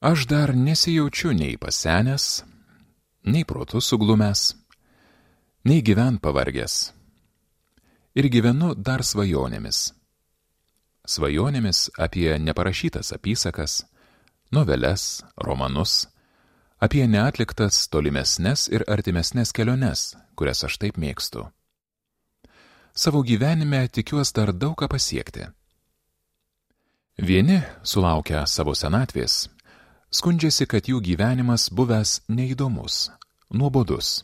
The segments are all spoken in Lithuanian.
Aš dar nesijaučiu nei pasenęs, nei protu suglumęs, nei gyvent pavargęs. Ir gyvenu dar svajonėmis. Svajonėmis apie neparašytas apysakas, noveles, romanus, apie neatliktas tolimesnes ir artimesnes keliones, kurias aš taip mėgstu. Savo gyvenime tikiuos dar daug ką pasiekti. Vieni, sulaukę savo senatvės, skundžiasi, kad jų gyvenimas buvęs neįdomus, nuobodus.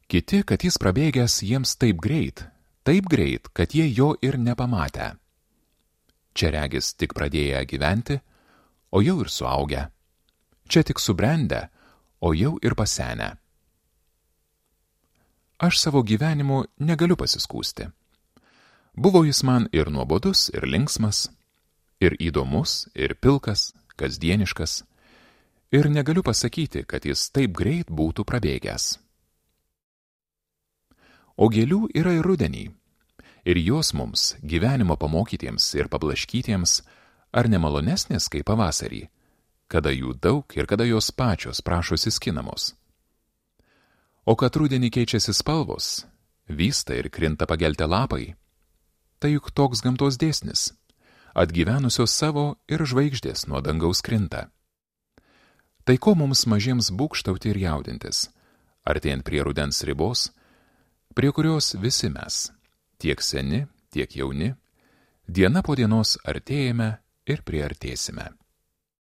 Kiti, kad jis prabėgęs jiems taip greit, kad jie jo ir nepamatę. Čia regis tik pradėję gyventi, o jau ir suaugę. Čia tik subrendę, o jau ir pasenę. Aš savo gyvenimu negaliu pasiskųsti. Buvo jis man ir nuobodus, ir linksmas, ir įdomus, ir pilkas, kasdieniškas, ir negaliu pasakyti, kad jis taip greit būtų prabėgęs. O gėlių yra ir rudenį, ir jos mums, gyvenimo pamokytiems ir pablaškytiems, ar nemalonesnės kaip pavasarį, kada jų daug ir kada jos pačios prašosi skinamos. O kad rudenį keičiasi spalvos, vysta ir krinta pageltę lapai, tai juk toks gamtos dėsnis, atgyvenusios savo ir žvaigždės nuo dangaus krinta. Tai ko mums mažiems būgštauti ir jaudintis, artėjant prie rudens ribos, prie kurios visi mes, tiek seni, tiek jauni, diena po dienos artėjame ir priartėsime.